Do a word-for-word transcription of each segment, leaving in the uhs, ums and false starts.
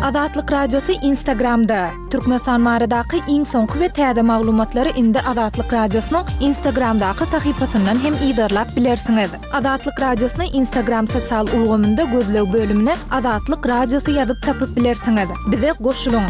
Azatlyk Radiosy Instagramda. Türkmenistan baradaky iň soňky we täze maglumatlary indi Azatlyk Radiosynyň Instagramdaky sahypasyndan hem yzarlap bilersiňiz. Azatlyk Radiosyny Instagram sosial ulgamynda gözleg bölümine Azatlyk Radiosy ýazyp tapyp bilersiňiz. Bize goşulyň.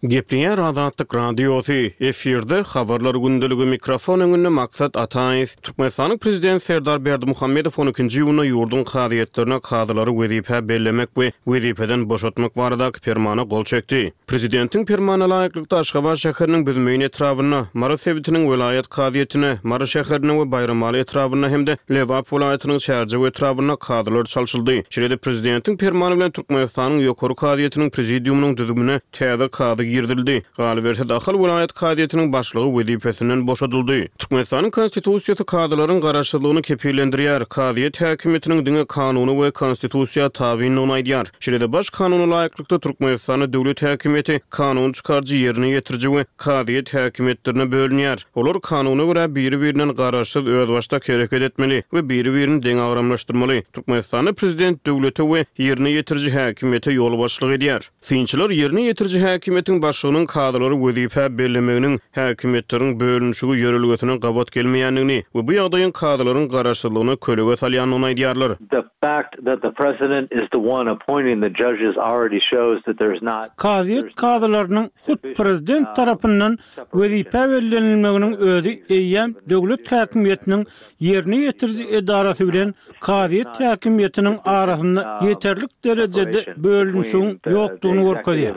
Gepleýär Azatlyk Radiosy, efirde habarlar gündeligi mikrofon öňünde Maksat Ataýew. Türkmenistanyň Prezidenti Serdar Berdimuhamedow on ikinji iýunda ýurduň kazyýetlerine kazylary wezipä bellemek we wezipeden boşatmak baradaky permana gol çekdi. Prezidentiň permanyna laýyklykda Aşgabat şäheriniň Büzmeýin etrabynda, Mary sebitiniň welaýat kazyýetine, Mary şäherinde we Baýramaly etrabynda hem-de Lebap welaýatynyň Çärjew etrabynda kazylar çalşyldy. Şeýle-de Prezidentiň permany bilen Türkmenistanyň Ýokary kazyýetiniň prezidiumynyň düzümine täze kazy girizildi. Galyberse-de Ahal welaýat kazyýetiniň başlygy wezipesinden boşadyldy. Türkmenistanyň Konstitusiýasy kazylaryň garaşsyzlygyny kepillendirýär. Kazyýet häkimiýetiniň diňe kanuny we konstitusiýa tabyndygyny aýdýar. Şeýle-de baş kanuna laýyklykda Türkmenistanda döwlet häkimiýeti kanun çykaryjy, ýerine ýetiriji we kazyýet häkimiýetlerine bölünýär. Olar kanuna görä biri-birinden garaşsyz özbaşdak hereket etmeli we biri-birini deňagramlaşdyrmaly. Türkmenistanda prezident döwlete we ýerine ýetiriji häkimiýete ýolbaşçylyk edýär. Synçylar ýerine ýetiriji häkimiýetiň başlygynyň kazylary wezipä bellemeginiň häkimiýetleriň bölünişigi ýörelgesine gabat gelmeýändigini we bu ýagdaýyň kazylaryň garaşsyzlygyna kölege salýandygyny aýdýarlar. The fact that the president is the one appointing the judges already shows that there's not Kazyýet kazylarynyň hut prezident tarapyndan wezipä bellenilmeginiň özi eýýäm döwlet häkimiýetiniň ýerine ýetiriji edarasy bilen kazyýet häkimiýetiniň arasynda ýeterlik derejede bölünişigiň ýokdugyny görkezýär.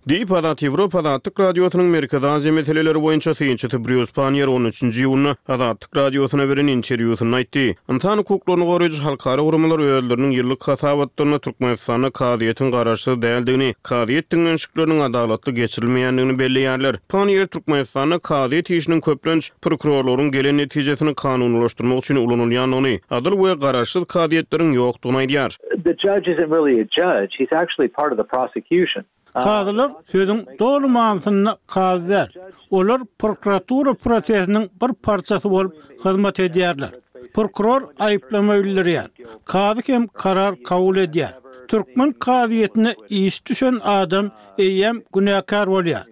Diýip, Azat Ýewropa Azatlyk Radiosynyň Merkezi Aziýa meseleleri boýunça synçysy Brýus Panniýer on üçünji iýunda Azatlyk Radiosyna beren interwýusynda aýtdy. Ynsan hukuklaryny goraýjy halkara guramalar özleriniň ýyllyk hasabatlarynda Türkmenistanda kazyýetiň garaşsyz däldigini, kazyýet diňlenişikleriniň adalatly geçirilmeýändigini belleýärler. Panniýer Türkmenistanda kazyýet işiniň köplenç prokurorlaryň gelen netijesini kanunylaşdyrmak üçin ulanylýandygyny, adyl we garaşsyz kazyýetleriň ýokdugyny aýdýar. The judge isn't really a judge, he's actually part of the prosecution. Kazylar sözüň doly manysynda kazy däl. Olar prokuratura prosesiniň bir parçasy bolup hyzmat edýärler. Prokuror aýyplama bildirýär. Kazy hem karar kabul edýär. Türkmen kazyýetine iş düşen adam eýýäm günäkär bolýar.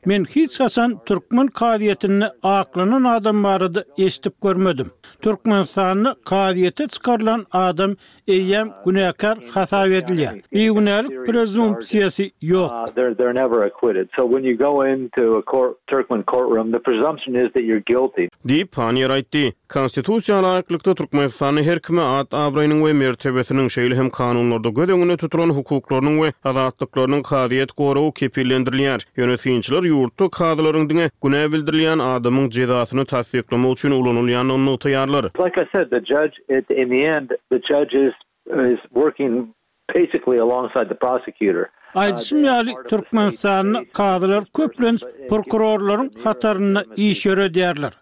Men hiç haçan türkmen kazyýetinde aklanan adam barada eşidip görmedim. Türkmenistanda kazyýete çykarylan adam eýýäm günäkär hasap edilýär. Bigünälik prezumpsiýasy ýok. They're, they're never acquitted. So when you go into a court, Turkmen courtroom, the presumption is that you're guilty. Diýip, Panniýer aýtdy. Konstitusiýa laýyklykda Türkmenistanda her kime at-abraýynyň we mertebesiniň, şeýle hem kanunlarda göz öňünde tutulan hukuklarynyň we azatlyklarynyň kazyýet goragy kepillendirilýär. Ýöne synçylar ýurtda kazylaryň diňe günä bildirilýän adamyň jezasyny tassyklamak üçin ulanylýandygyny nygtaýarlar. Like I said, the judge, at, in the end, the judge is, is working basically alongside the prosecutor. Aýdyşym ýaly, Türkmenistanda kazylar köplenç prokurorlaryň hatarynda iş ýöredýärler.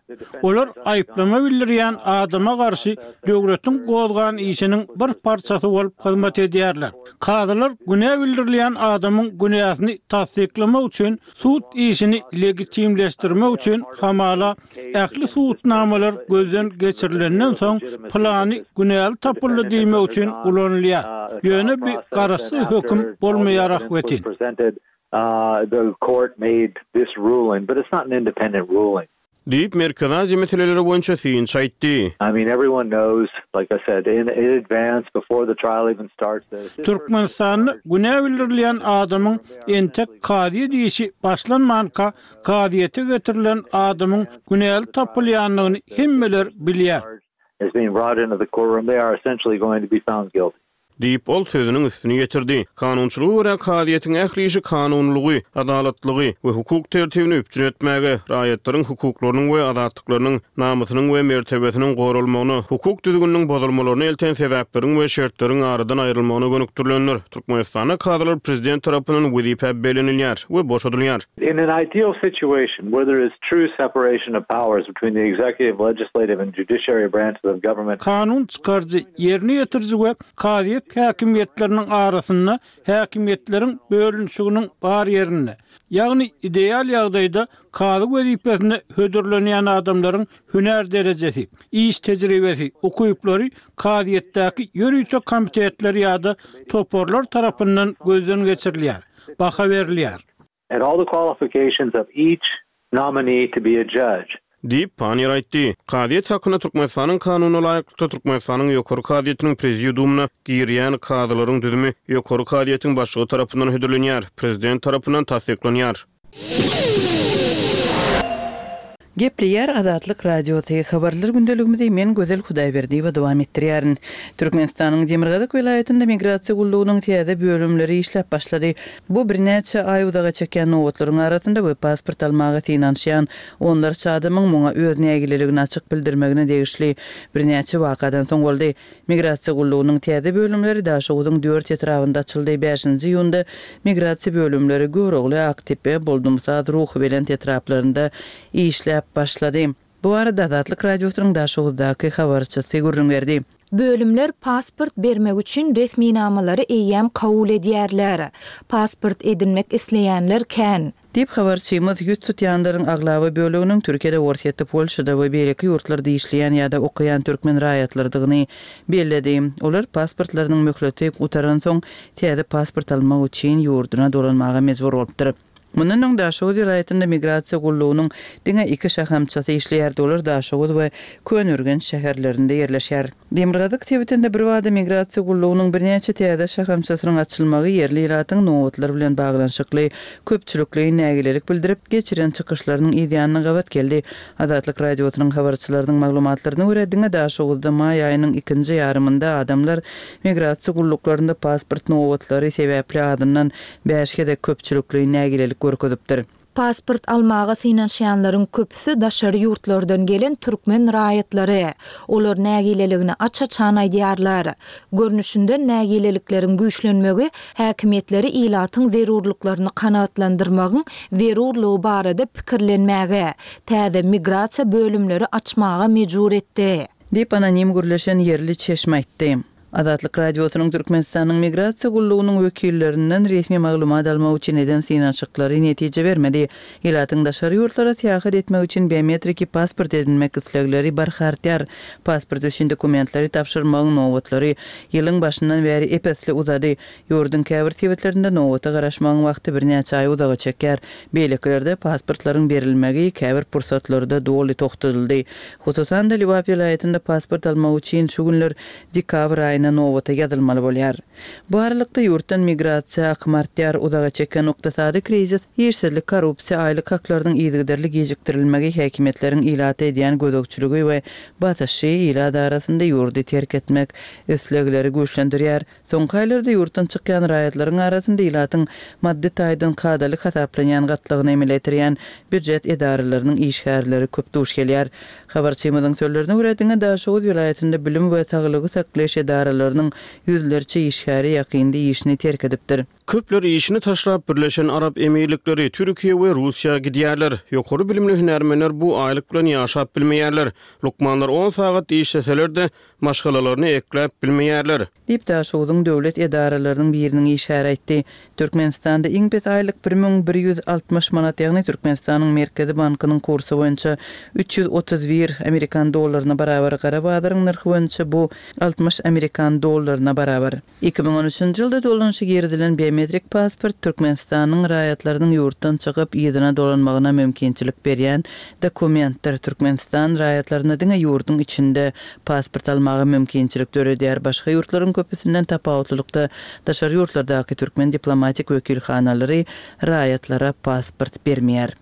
Olar aýyplama bildirýän adama garşy döwletiň gozgan işiniň bir parçasy bolup hyzmat edýärler. Kazylar günä bildirilýän adamyň günäsini tassyklamak üçin sud işini legitimleşdirmek üçin hamala ähli subutnamalar gözden geçirilenden soň plany günäli tapyldy diýmek üçin ulanylýar. Ýöne bir garaşsyz höküm bolmaýar ahbetin. The court made this ruling, but it's not an independent ruling. Diýip, Merkezi Aziýa meseleleri boýunça synçy aýtdy. I mean, everyone knows, like I said, in, in advance, before the trial even starts. Türkmenistanda günä bildirilýän adamyň entek kazyýet işi başlanmanka kazyýete getirilen adamyň günäli tapylýandygyny hemmeler bilýär. Is being brought into the courtroom, they are essentially going to be found guilty. Diýip, ol sözüniň üstüni ýetirdi. Kanunçylyga görä kazyýetiň ähli işi kanunylygy, adalatlygy we hukuk tertibini üpjün etmäge, raýatlaryň hukuklarynyň we azatlyklarynyň, namysynyň we mertebesiniň goralmagyna, hukuk düzgüniniň bozulmalaryna elten sebäpleriň we şertleriň aradan aýrylmagyna gönükdirilendir. Türkmenistanda kazylar prezident tarapyndan wezipä bellenilýär we boşadylýar. In an ideal situation where there is true separation of powers between the executive, legislative and judiciary branches of government. Kanun çykaryjy, ýerine ýetiriji we kazyýet kazyýet häkimiýetleriniň arasynda häkimiýetleriň bölünişiginiň bar ýerinde, ýagny ideal ýagdaýda kazy wezipesine hödürlenýän adamlaryň hünär derejesi, iş tejribesi, ukyplary kazyýetdäki ýörite komitetler ýa-da toparlar tarapyndan gözden geçirilýär, baha berilýär. And all the qualifications of each nominee to be a judge. Diýip, Panniýer aýtdy. Kazyýet hakynda Türkmenistanyň Kanunyna laýyklykda, Türkmenistanyň Ýokary kazyýetiniň Prezidiumyna girýän kazylaryň düzümi Ýokary kazyýetiň başlygy tarapyndan hödürlenýär, Prezident tarapyndan tassyklanýar. Gepleýär Azatlyk Radiosy, Habarlar gündeligimizi men Gözel Hudaýberdiýewa dowam etdirýärin. Türkmenistanyň demirgazyk welaýatynda migrasiýa gullugynyň täze bölümleri işläp başlady. Bu birnäçe aý uzaga çekýän nobatlaryň arasynda we pasport almaga synanyşýan onlarça adamyň muňa öz nägileligini açyk bildirmegine degişli birnäçe wakadan soň boldy. Migrasiýa gullugynyň täze bölümleri Daşoguzyň dört etrabynda açyldy. Bäşinji iýunda migrasiýa bölümleri Görogly, Aktepe, Boldumsaz, Ruhubelent etraplarynda işläp başlady. Bu barada Azatlyk Radiosynyň Daşoguzdaky habarçysy gürrüň berdi. Bölümler pasport bermek üçin resminamalary eýýäm kabul edýärler. Pasport edinmek isleýänler kän. Diýip, habarçymyz ýüz tutýanlaryň aglaba böleginiň Türkiýede, Orsýetde, Polşada we beýleki ýurtlarda işleýän ýa-da okaýan türkmen raýatlarydygyny belledi. Olar pasportlarynyň möhleti gutaransoň, täze pasport almak üçin ýurduna dolanmaga mejbur bolupdyr. Mundan öň Daşoguz welaýatynda migrasiýa gullugynyň diňe iki şahamçasy işleýärdi, olar Daşoguz we Köneürgenç şäherlerinde ýerleşýär. Demirgazyk sebitinde birbada migrasiýa gullugynyň birnäçe täze şahamçasynyň açylmagy ýerli ilatyň nobatlar bilen baglanyşykly köpçülikleýin nägilelik bildirip, geçiren çykyşlarynyň yzýanyna gabat geldi. Azatlyk Radiosynyň habarçylarynyň maglumatlaryna görä, diňe Daşoguzda maý aýynyň ikinji ýarymynda adamlar migrasiýa gulluklarynda pasport nobatlary sebäpli azyndan bäş gezek köpçülikleýin nägilelik görkezipdir. Pasport almaga synanyşýanlaryň köpüsi daşary ýurtlardan gelen türkmen raýatlary. Olar nägileligini aç-açan aýdýarlar. Görnüşinden nägilelikleriň güýçlenmegi häkimiýetleri ilatyň zerurlyklaryny kanagatlandyrmagyň zerurlygy barada pikirlenmäge, täze migrasiýa bölümleri açmaga mejbur etdi. Diýip, anonim gürleşen ýerli çeşme aýtdy. Azatlyk Radiosynyň Türkmenistanyň Migrasiýa gullugynyň wekillerinden resmi maglumat almak üçin eden synanyşyklary netije bermedi. Ilatyň daşary ýurtlara syýahat etmek üçin biometriki pasport edinmek islegleri barha artýar. Pasport üçin dokumentleri tabşyrmagyň nobatlary ýylyň başyndan bäri ep-esli uzady. Ýurduň käbir sebitlerinde nobata garaşmagyň wagty birnäçe aý uzaga çekýär. Beýlekilerde pasportlaryň berilmegi käbir pursatlarda doly togtadyldy. Hususan-da, Lebap welaýatynda pasport almak üçin şu günler dekabr aýyna nobata ýazylmaly bolýar. Bu aralykda, ýurtdan migrasiýa akymy artýar, uzaga çeken ykdysady krizis, işsizlik, korrupsiýa, aýlyk haklarynyň yzygiderli gijikdirilmegi, häkimiýetleriň ilata edýän gözegçiligi we basyşy ilat arasynda ýurdy terk etmek islegleri güýçlendirýär. Soňky aýlarda ýurtdan çykýan raýatlaryň arasynda ilatyň maddy taýdan kadaly hasaplanýan gatlagyny emele getirýän býujet edaralarynyň işgärleri köp duş gelýär. Habarçymyzyň sözlerine görä, diňe Daşoguz welaýatynda bilim we saglygy saklaýyş edaralarynyň ýüzlerçe işgäri ýakynda işini terk edipdir. Köpler işini taşlap, Birleşen Arap Emirlikleri, Türkiýe we Russiýa gidýärler. Ýokary bilimli hünärmenler bu aýlyk bilen ýaşap bilmeýärler. Lukmanlar on sagat işleseler-de, maşgalalaryny ekläp bilmeýärler. Diýip, Daşoguzyň döwlet edaralarynyň biriniň işgäri aýtdy. Türkmenistanda iň pes aýlyk bir müň bir ýüz altmyş manat, ýagny Türkmenistanyň Merkezi bankynyň kursy boýunça üç ýüz otuz bir amerikan dollaryna barabar, gara bazaryň nyrhy boýunça bu altmyş amerikan dollaryna barabar. Iki müň on üçünji ýylda dolanyşa girizilen biometrik pasport Türkmenistanyň raýatlarynyň ýurtdan çykyp, yzyna dolanmagyna mümkinçilik berýän dokumentdir. Türkmenistan raýatlaryna diňe ýurduň içinde pasport almaga mümkinçilik döredýär. Başga ýurtlaryň köpüsinden tapawutlylykda, daşary ýurtlardaky türkmen diplomatik wekilhanalary raýatlara pasport bermeýär.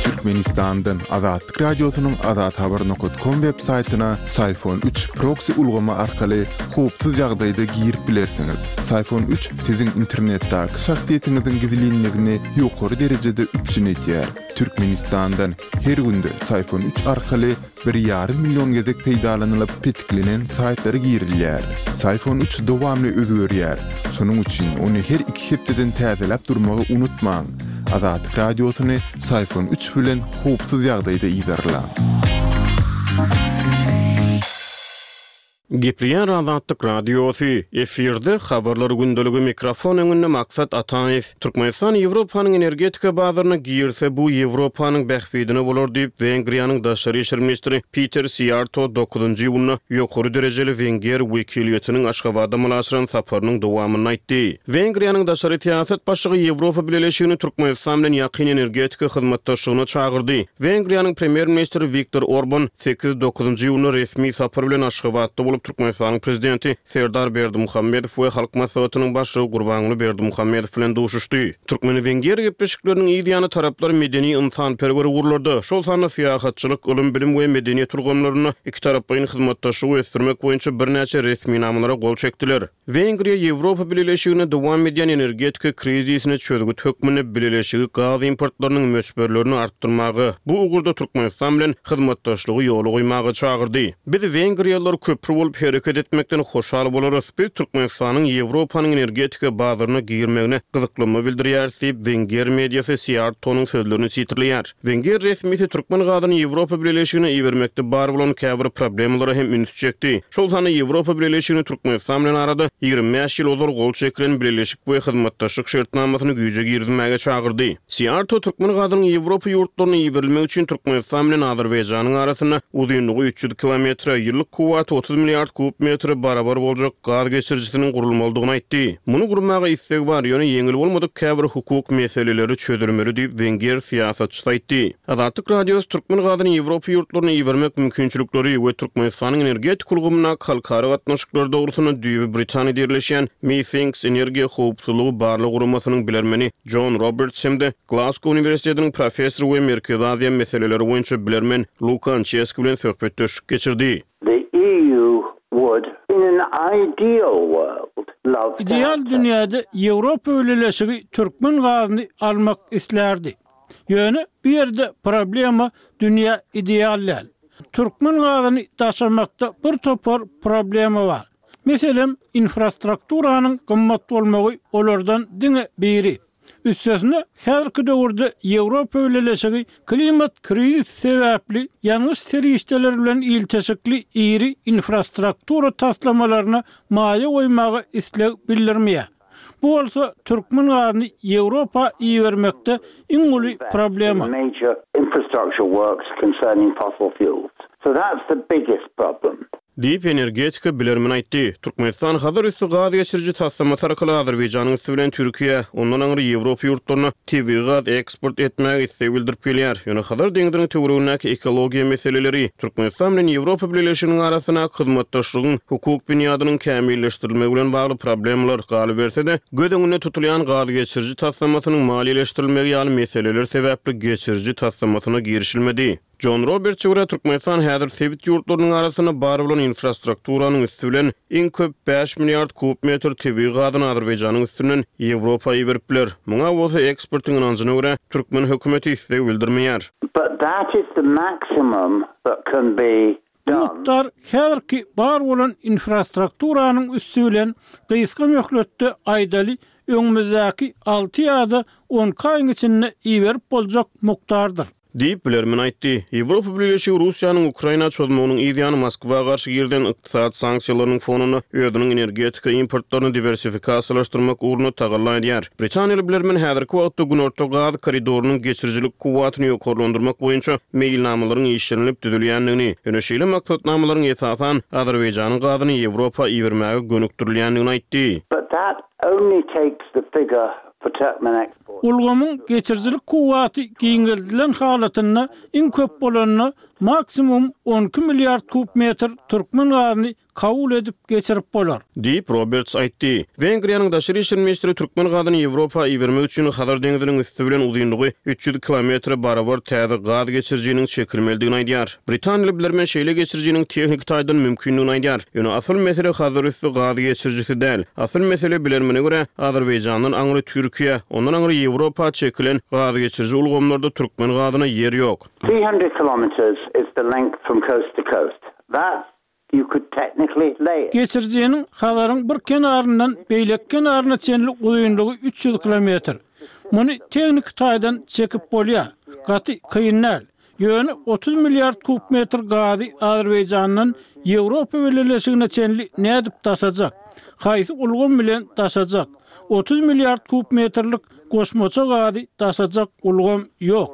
Türkmenistandan Azatlyk Radiosynyň azathabar nokat kom web saýtyna Syfon üç proksi ulgamy arkaly howpsuz ýagdaýda girip bilersiňiz. Syfon üç siziň internetdäki şahsyýetiňiziň gizlinligini ýokary derejede üpjün edýär. Türkmenistandan her günde Syfon üç arkaly bir ýarym million gezek peýdalanylyp petiklenen saýtlara girilýär. Syfon üç dowamly özgerýär. Şonuň üçin ony her iki hepdeden täzeläp durmagy unutmaň. Azatlyk Radiosyny Syfon üç bilen howpsuz ýagdaýda yzarlaň. Gepleýär Azatlyk Radiosy, efirde habarlar gündeligi mikrofon öňünde Maksat Ataýew. Türkmenistan Ýewropanyň energetika bazaryna girse bu Ýewropanyň bähbidine bolar diýip Wengriýanyň daşary işler ministri Peter Siýarto dokuzynjy iýunda ýokary derejeli wenger wekiliýetiniň Aşgabatda amala aşyran saparynyň dowamynda aýtdy. Wengriýanyň daşary syýasat başlygy Ýewropa Bileleşigini Türkmenistan bilen ýakyn energetika hyzmatdaşlygyna çagyrdy. Wengriýanyň premýer-ministri Wiktor Orban sekiz dokuzynjy iýunda resmi sapar bilen Aşgabatda bolup Türkmenistanyň prezidenti Serdar Berdimuhamedow we Halk Maslahatynyň başlygy Gurbanguly Berdimuhamedow bilen duşuşdy. Türkmen-wenger gepleşikleriniň yz ýany taraplar medeni ynsanperwer ugurlarda, şol sanda syýahatçylyk, ylym-bilim we medeniýet ulgamlarynda iki taraplaýyn hyzmatdaşlygy ösdürmek boýunça birnäçe resminamalara gol çekdiler. Wengriýa Ýewropa Bileleşigine dowam edýän energetika krizisine çözgüt hökmünde bileleşigi gaz importlarynyň möçberlerini artdyrmaga, bu ugurda Türkmenistan bilen hyzmatdaşlygy ýola goýmaga çagyrdy. Biz wengriýalylar köpri bolup hereket etmekden hoşal bolarys. Biz Türkmenistanyň Ýewropanyň energetika bazaryna girmegine gyzyklanma bildirýäris diýip wenger mediasy Siýartonyň sözlerini sitirleýär. Wenger resmisi türkmen gazyny Ýewropa Bileleşigine ibermekde bar bolan käbir problemalara hem üns çekdi. Şol sanda Ýewropa Bileleşigini Türkmenistan bilen arada ýigrimi bäş ýyl ozal gol çekilen bileleşik we hyzmatdaşlyk şertnamasyny güýje girizmäge çagyrdy. Siýarto türkmen gazynyň Ýewropa ýurtlaryna iberilmegi üçin Türkmenistan bilen Azerbaýjanyň arasynda uzynlygy üç ýüz kilometre, ýyllyk kuwwaty otuz milliard kub metre barabar boljak gaz geçirijisiniň gurulmalydygyny aýtdy. Muny gurmaga isleg bar, ýöne ýeňil bolmadyk käbir hukuk meseleleri çözülmeli diýip wenger syýasatçysy aýtdy. Azatlyk Radiosy türkmen gazyny Ýewropa ýurtlaryna ibermek mümkinçilikleri we Türkmenistanyň energetik ulgamyndaky halkara gatnaşyklary dogrusynda düýbi Britaniýada ýerleşýän Methinks energiýa howpsuzlygy barlag guramasynyň bilermeni John Roberts hem-de Glasgow Uniwersitetiniň professory we Merkezi Aziýa meseleleri boýunça bilermen Luka Ançeski bilen söhbetdeşlik geçirdi. The E U would, in an ideal world, love to Ideal have dünýäde Ýewropa Bileleşigi türkmen gazyny almak isterdi. Ýöne bu ýerde problema dünýä ideal däl. Türkmen gazyny daşamakda bir topar problema bar. Meselem, infrastrukturanyň gymmat bolmagy olardan diňe biri. Üstesine, häzirki döwürde Ýewropa Bileleşigi klimat krizisi sebäpli ýangyç serişdeleri bilen ilteşikli iri infrastruktura taslamalaryna maýa goýmaga isleg bildirmeýär. Bu bolsa türkmen gazyny Ýewropa ibermekde iň uly problema. Major infrastructure works concerning fossil fuels. So that's the biggest problem. Diýip energetika bilermen aýtdy. Türkmenistan Hazar üsti gaz geçiriji taslamasy arkaly Azerbaýjanyň üsti bilen Türkiýe, ondan aňry Ýewropa ýurtlaryna tebigy gaz eksport etmäge isleg bildirip gelýär. Ýöne Hazar deňziniň töweregindäki ekologiýa meseleleri Türkmenistan bilen Ýewropa Bileleşiginiň arasyndaky hyzmatdaşlygyň hukuk binýadynyň kämilleşdirilmegi bilen bagly problemalar galyberse-de, göz öňünde tutulýan gaz geçiriji taslamasynyň maliýeleşdirilmegi ýaly meseleler sebäpli geçiriji taslamasyna girişilmedi. John Roberts görä Türkmenistan häzir sebit ýurtlarynyň arasynda bar bolan infrastrukturanyň üsti bilen iň köp bäş milliard kub metr tebigy gazyny Azerbaýjanyň üstünden Ýewropa iberip biler. Muňa bolsa ekspertiň ynanjyna görä türkmen hökümeti isleg bildirmeýär. But that is the maximum that can be Bu done. mukdar häzirki bar bolan infrastrukturanyň üsti bilen gysga möhletde aýdaly öňümizdäki alty ýa-da on aýyň içinde iberip boljak mukdardyr. Diýip bilermen aýtdy. Ýewropa Bileleşigi Russiýanyň Ukraina çozmagynyň yz ýany Moskwa garşy girilen ykdysady sanksiýalarynyň fonunda özüniň energetika importlaryny diwersifikasiýalaşdyrmak ugrunda tagalla edýär. Britaniýaly bilermen häzirki wagtda Günorta gaz koridorynyň geçirijilik kuwwatyny ýokarlandyrmak boýunça meýilnamalaryň işlenilip düzülýändigini, ýöne şeýle maksatnamalaryň esasan Azerbaýjanyň gazyny Ýewropa ibermäge gönükdirilýändigini aýtdy. But that only takes the figure for Turkmen export. Ulgamyň geçirijilik kuwwaty giňeldilen halatynda iň köp bolanyna maksimum on iki milliard kub metr türkmen gazyny kabul edip geçirip bolar. Diýip Roberts aýtdy. Wengriýanyň daşary işler ministri türkmen gazyny Ýewropa ibermek üçin Hazar deňziniň üsti bilen uzynlygy üç ýüz kilometre barabar täze gaz geçirijiniň çekilmelidigini aýdýar. Britaniýaly bilermen şeýle geçirijiniň tehniki taýdan mümkindigini aýdýar. Ýöne asyl mesele Hazar üsti gaz geçirijisi däl. Asyl mesele bilermene görä Azerbaýjandan aňry Türkiýe, ondan aňry Ýewropa çekilen gaz geçiriji ulgamlarda türkmen gazyna ýer ýok. Three hundred kilometers is the length from coast to coast. That you could technically lay it. Geçirijiniň Hazaryň bir kenaryndan beýleki kenaryna çenli uzynlygy üç ýüz kilometr. Muny tehniki taýdan çekip bolýar. Gaty kyn däl. Ýöne otuz milliard kub metr gazy Azerbaýjandan Ýewropa Bileleşigine çenli nädip daşajak? Haýsy ulgam bilen daşajak? otuz milliard kub metrlik goşmaça gazy daşajak ulgam ýok.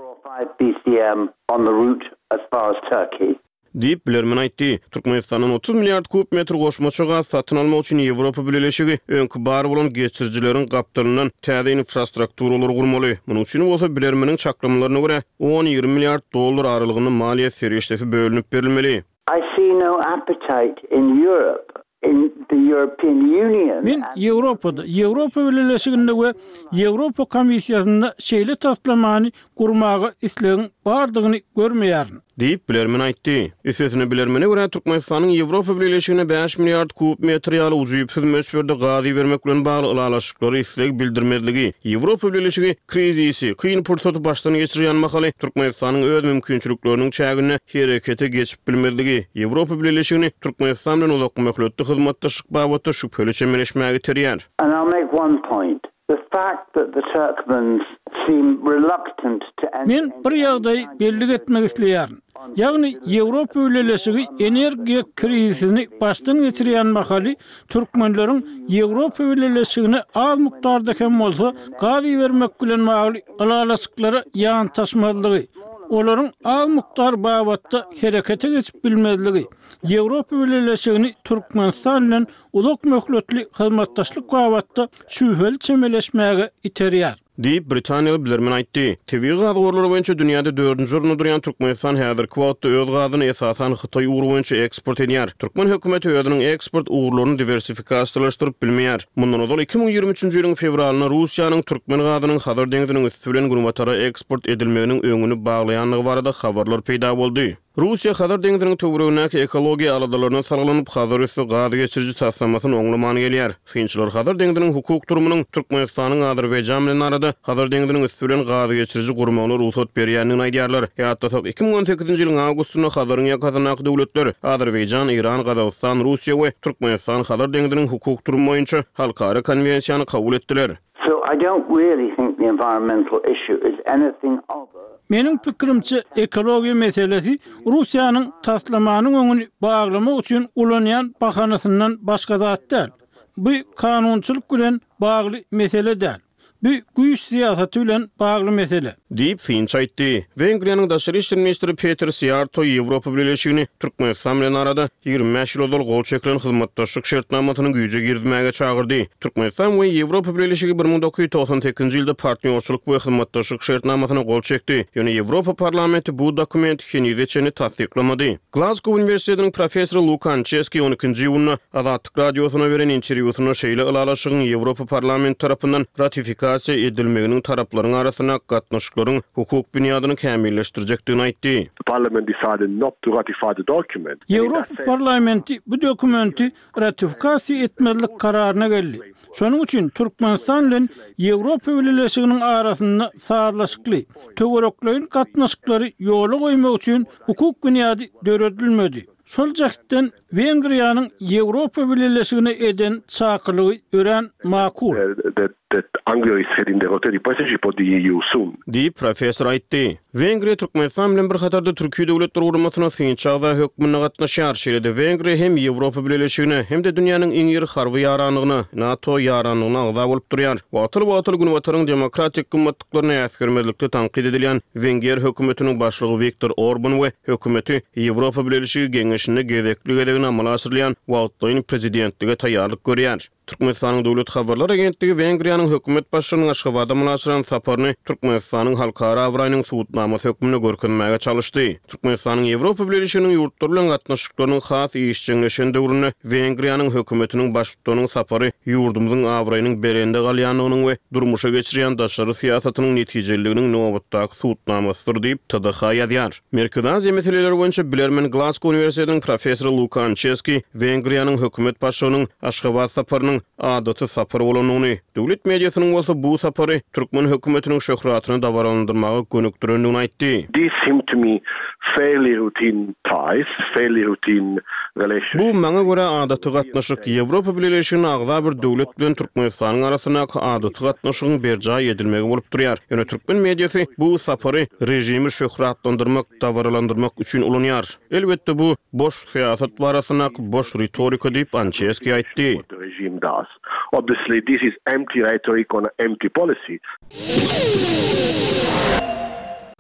Diýip, bilermen aýtdy. Türkmenistandan otuz milliard kub metr goşmaça gaz satyn almak üçin Ýewropa Bileleşigi öňki bar bolan geçirijileriň gapdalyndan täze infrastrukturalary gurmaly. Munuň üçin bolsa, bilermeniň çaklamalaryna görä, on-ýigrimi milliard dollar aralygynda maliýe serişdesi bölünip berilmeli. I see no appetite in Europe, in the European Union Men Ýewropada, Ýewropa Bileleşiginde we Ýewropa Komissiýasynda şeýle taslamany gurmaga islegiň bardygyny görmeýärin. Diýip, bilermen aýtdy. Üstesine, bilermene görä, Türkmenistanyň Ýewropa Bileleşigine bäş milliard kub metr ýaly ujypsyz möçberde gaz ibermek bilen bagly ylalaşyklara isleg bildirmezligi, Ýewropa Bileleşigi krizisi, kyn pursaty başdan geçirýän mahaly Türkmenistanyň öz mümkinçilikleriniň çäginde herekete geçip bilmezligi, Ýewropa Bileleşigini Türkmenistan bilen uzakmöhletli hyzmatdaşlyk babatda şübheli çemeleşmäge iterýär. And I'll make one point. The fact that the Turkmens seem reluctant to enter Men bir ýagdaýy bellik etmek isleýärin. Ýagny Ýewropa Bileleşigi energiýa krizisini başdan geçirýän mahaly türkmenleriň Ýewropa Bileleşigine az mukdarda hem bolsa gaz ibermek bilen bagly ylalaşyklara ýantaşmazlygy, olaryň az mukdar babatda herekete geçip bilmezligi, Ýewropa Bileleşigini Türkmenistan bilen uzak möhletli hyzmatdaşlyk babatda şübheli çemeleşmäge iterýär. Diýip, britaniýaly bilermen aýtdy. Tebigy gaz gorlary boýunça dünýäde dördünji orunda durýan Türkmenistan häzirki wagtda öz gazyny esasan Hytaý ugry boýunça eksport edýär. Türkmen hökümeti özüniň eksport ugurlaryny diwersifikasiýalaşdyryp bilmeýär. Mundan ozal iki müň ýigrimi üçünji ýylyň fewralynda Russiýanyň türkmen gazynyň Hazar deňziniň üsti bilen günbatara eksport edilmeginiň öňüni baglaýandygy barada habarlar peýda boldy. Russiýa Hazar deňziniň töweregindäki ekologiýa aladalaryna salgylanyp, Hazar üsti gaz geçiriji taslamasyny oňlaman gelýär. Synçylar Hazar deňziniň hukuk durumynyň Türkmenistanyň Azerbaýjan bilen arada Hazar deňziniň üsti bilen gaz geçiriji gurmagyna rugsat berýändigini aýdýarlar. Ýatlasak, iki müň on sekizinji ýylyň awgustynda Hazaryň ýakasyndaky döwletler Azerbaýjan, Eýran, Gazagystan, Russiýa we Türkmenistan Hazar deňziniň hukuk durumy boýunça halkara konwensiýany kabul etdiler. So I don't really think the environmental issue is anything other. Meniň pikirimçe, ekologiýa meselesi Russiýanyň taslamanyň öňüni baglamak üçin ulanýan bahanasyndan başga zat däl. Bu kanunçylyk bilen bagly mesele däl. Bu güýç syýasaty bilen bagly mesele. Diýip, synçy aýtdy. Wengriýanyň daşary işler ministri Peter Siýarto Ýewropa Bileleşigini Türkmenistan bilen arada ýigrimi bäş ýyl ozal gol çekilen hyzmatdaşlyk şertnamasyny güýje girizmäge çagyrdy. Türkmenistan we Ýewropa Bileleşigi bir müň dokuz ýüz togsan sekizinji ýylda partnýorçylyk we hyzmatdaşlyk şertnamasyna gol çekdi. Ýöne Ýewropa Parlamenti bu dokumenti henize çenli tassyklamady. Glazgow uniwersitetiniň professory Luka Ançeski on ikinji iýunda Azatlyk Radiosyna beren interwýusynda şeýle ylalaşygyň Ýewropa Parlamenti tarapyndan ratifikasiýa edilmeginiň taraplaryň arasynda gatnaşyklaryň hukuk binýadyny kämilleşdirjekdigini aýtdy. The parliament decided not to ratify the document. Ýewropa Parlamenti bu dokumenti ratifikasiýa etmezlik kararyna geldi. Şonuň üçin Türkmenistan bilen Ýewropa Bileleşiginiň arasynda sazlaşykly, töwerekleýin gatnaşyklary ýola goýmak üçin hukuk binýady döredilmedi. Şol jähtden Wengriýanyň Ýewropa Bileleşigine eden çakylygy örän makul. That, that Hungary is heading the rotating presidency for the E U soon. Diýip, professor aýtdy. Wengriýa Türkmenistan bilen bir hatarda Türki Döwletler Guramasyna synçy agza hökmünde gatnaşýar. Şeýle-de Wengriýa hem Ýewropa Bileleşigine, hem-de dünýäniň iň iri harby ýaranlygyna, NATO ýaranlygyna agza bolup durýar. Wagtal-wagtal Günbataryň demokratik gymmatlyklaryny äsgermezlikde tankyt edilýän Wenger hökümetiniň başlygy Viktor Orban we hökümeti Ýewropa Bileleşigi geňeşinde gezekli-gezegine amala aşyrylýan wagtlaýyn prezidentlige taýýarlyk görýär. Türkmenistanyň Döwlet habarlar agentligi Wengriýanyň hökümet başlygynyň Aşgabada amala aşyran saparyny Türkmenistanyň halkara abraýynyň subutnamasy hökmünde görkezmäge çalyşdy. Türkmenistanyň Ýewropa Bileleşiginiň ýurtlary bilen gatnaşyklarynyň has işjeňleşen döwründe Wengriýanyň hökümetiniň baştutanynyň sapary ýurdumyzyň abraýynyň belende galýandygynyň we durmuşa geçirýän daşary syýasatynyň netijeliliginiň nobatdaky subutnamasydyr diýip T D H ýazýar. Merkezi Aziýa meseleleri boýunça bilermen Glasgow uniwersitetiniň professory Luka Ançeski Wengriýanyň hökümet başlygynyň Aşgabat saparynyň adaty sapar bolandygyny, döwlet mediasynyň bolsa bu sapary türkmen hökümetiniň şöhratyny dabaralandyrmaga gönükdirendigini aýtdy. This seemed to me fairly routine ties, fairly routine relationship. Bu maňa görä adaty gatnaşyk Ýewropa Bileleşigine agza bir döwlet bilen Türkmenistanyň arasyndaky adaty gatnaşygyň berjaý edilmegi bolup durýar. Ýöne türkmen mediasy bu sapary režimi şöhratlandyrmak, dabaralandyrmak üçin ulanýar. Elbetde bu boş syýasat barasyndaky boş ritorika diýip Ançeski aýtdy. What the regime does. Obviously, this is empty rhetoric on empty policy.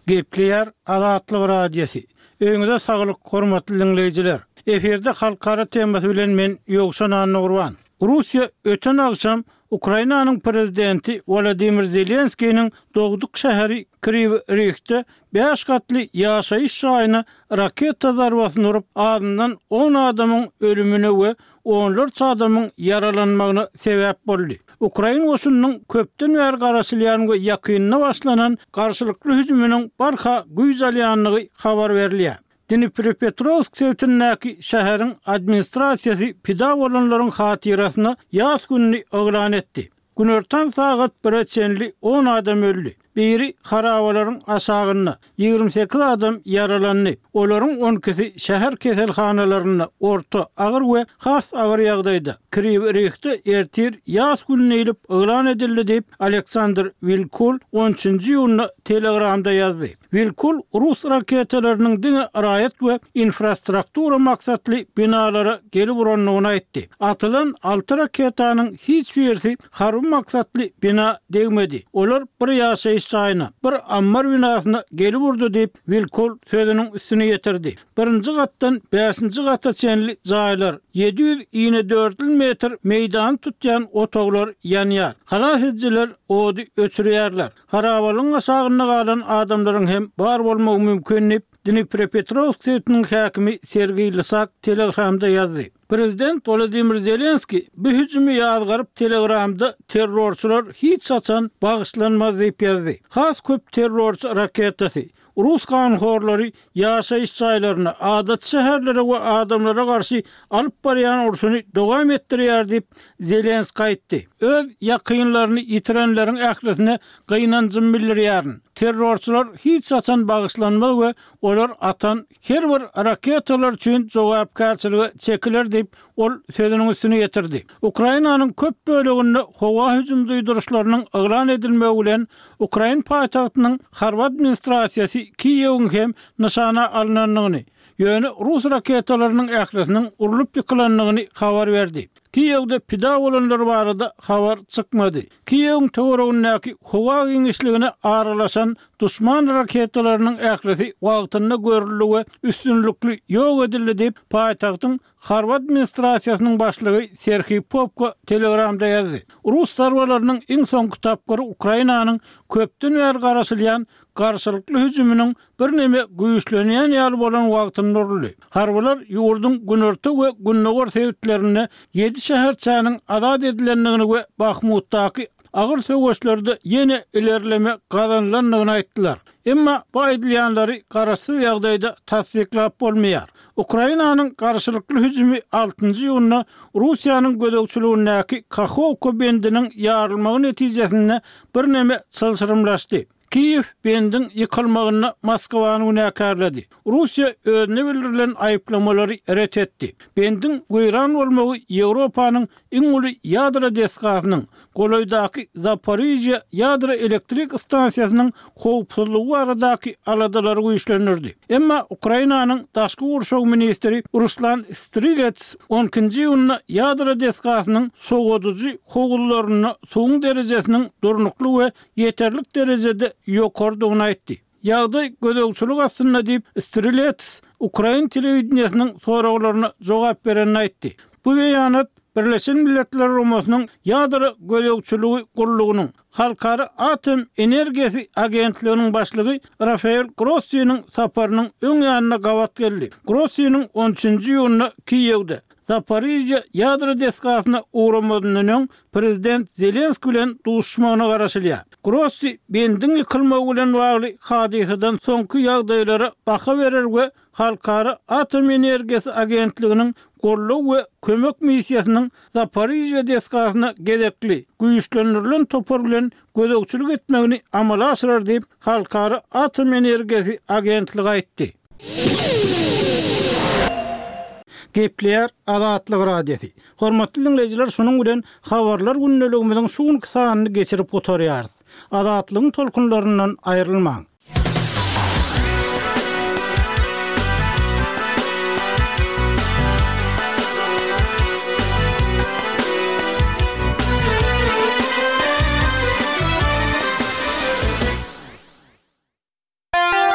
Gepleýär Azatlyk Radiosy. Öýüňize saglyk, hormatly diňleýjiler. Efirde halkara temasy bilen men Ýowşan Annagurban. Russiýa öten agşam Ukrainanyň prezidenti Wladimir Zelenskiniň dogduk şäheri Kriwi Rihde bäş gatly ýaşaýyş jaýyna raketa zarbasyny urup, azyndan on adamyň ölümine we onlarça adamyň ýaralanmagyna sebäp boldy. Ukrain goşunynyň köpden bäri garaşylýan we ýakynda başlanan garşylykly hüjüminiň barha güýç alýandygy habar berilýär. Dnipropetrovsk sebitindäki şäheriň administrasiýasy pida bolanlaryň hatyrasyna ýas gününi yglan etdi. Günortan sagat bire çenli on adam öldi. Biri harabalaryň aşagynda, ýigrimi sekiz adam ýaralandy. Olaryň on ikisi şäher keselhanalarynda orta, agyr we has agyr ýagdaýda. Kriwi Rihde ertir ýas gününi diýlip yglan edildi diýip Aleksandr Wilkul on üçünji iýunda Telegramda ýazdy. Wilkul rus raketalarynyň diňe raýat we infrastruktura maksatly binalara gelip urandygyny aýtdy. Atylan alty raketanyň hiç birisi harby maksatly bina degmedi. Olar bir ýaşaýyş jaýyna, bir ammar binasyna gelip urdy diýip Wilkul sözüniň üstüne ýetirdi. Birinji gatdan bäşinji gata çenli jaýlar, ýedi ýüz ýigrimi dört metr meýdany tutýan otaglar ýanýar. Halas edijiler ody öçürýärler. Harabalygyň aşagynda galan adamlaryň hem bar bolmagy mümkin diýip Dnipropetrovsk sebitiniň häkimi Sergeý Lysak Telegramda ýazdy. Prezident Wladimir Zelenski bu hüjümi ýazgaryp Telegramda terrorçylar hiç haçan bagyşlanmaz diýip ýazdy. Has köp terrorçy raketasy Rus kanhorlary ýaşaýyş jaýlaryna, adat şäherlere we adamlara garşy alyp barýan urşuny dowam etdirýär diýip Zelenski aýtdy. Öz ýakynlaryny ýitirenleriň ählisine gynanjym bildirýärin. Terrorçylar hiç haçan bagyşlanmaz we olar atan her bir raketalar üçin jogapkärçilige çekiler diýip ol sözüniň üstüne ýetirdi. Ukrainanyň köp böleginde howa hüjüm duýduryşlarynyň yglan edilmegi bilen Ukrain paýtagtynyň harby administrasiýasy Kiýewiň hem nyşana alynandygyny, ýöne rus raketalarynyň ählisiniň urlup ýykylandygyny habar berdi. Kiýewde pida bolanlar barada habar çykmady. Kiýewiň töweregindäki howa giňişligine aralaşan duşman raketalarynyň ählisi wagtynda görüldi we üstünlikli ýok edildi diýip paýtagtyň harby administrasiýasynyň başlygy Serhiý Popko Telegramda ýazdy. Rus zarbalarynyň iň soňky tapgyry Ukrainanyň köpden bäri garaşylýan garşylykly hüjüminiň birneme güýçlenýän ýaly bolan wagtynda uruldy. Harbylar ýurduň günorta we gündogar sebitlerinde ýedi şäherçäniň azat edilendigini we Bahmutdaky agyr söweşlerde ýene ilerleme gazanylandygyny aýtdylar. Emma bu aýdylýanlary garaşsyz ýagdaýda tassyklap bolmaýar. Ukrainanyň garşylykly hüjümi altynjy iýunda Russiýanyň gözegçiligindäki Kahovka bendiniň ýarylmagy netijesinde birneme çylşyrymlaşdy. Kiýew bendiň ýykylmagyny Moskwany günäkärledi. Russiýa özüne bildirilen aýyplamalary ret etdi. Bendiň weýran bolmagy Ýewropanyň iň uly ýadro desgasynyň, golaýdaky Zaporizhýa ýadro elektrik stansiýasynyň howpsuzlygy baradaky aladalary güýçlendirdi. Emma Ukrainanyň daşky gurşaw ministri Ruslan Strilets on ikinji iýunda ýadro desgasynyň sowadyjy howuzlarynda suwuň derejesiniň durnukly we ýeterlik derejede ýokardygyny aýtdy. Ýagdaý gözegçilik astynda diýip Strilets Ukrain telewideniýesiniň soraglaryna jogap berenini aýtdy. Bu beýanat Birleşen Milletler Guramasynyň ýadro gözegçiligi gullugynyň Halkara Atom Energiýasy Agentliginiň başlygy Rafael Grossiniň saparynyň öň ýanyna gabat geldi. Grossiniň on üçünji iýunda Kiýewde Zaporizhýa ýadro desgasyna ugramadyndan öň prezident Zelenski bilen duşmagyna garaşylýar. Grossi bendiň ýykylmagy bilen bagly hadysadan soňky ýagdaýlara baha berer we Halkara Atom Energiýasy Agentliginiň gollag we kömek missiýasynyň Zaporizhýa desgasyna gezekli güýçlendirilen topar bilen gözegçilik etmegini amala aşyrar diýip Halkara Atom Energiýasy Agentligi aýtdy. Gepleýär Azatlyk Radiosy. Hormatly diňleýjiler, şunuň bilen habarlar gündeligimiziň şu günki sanyny geçirip gutarýarys. Azatlygyň tolkunlaryndan aýrylmaň.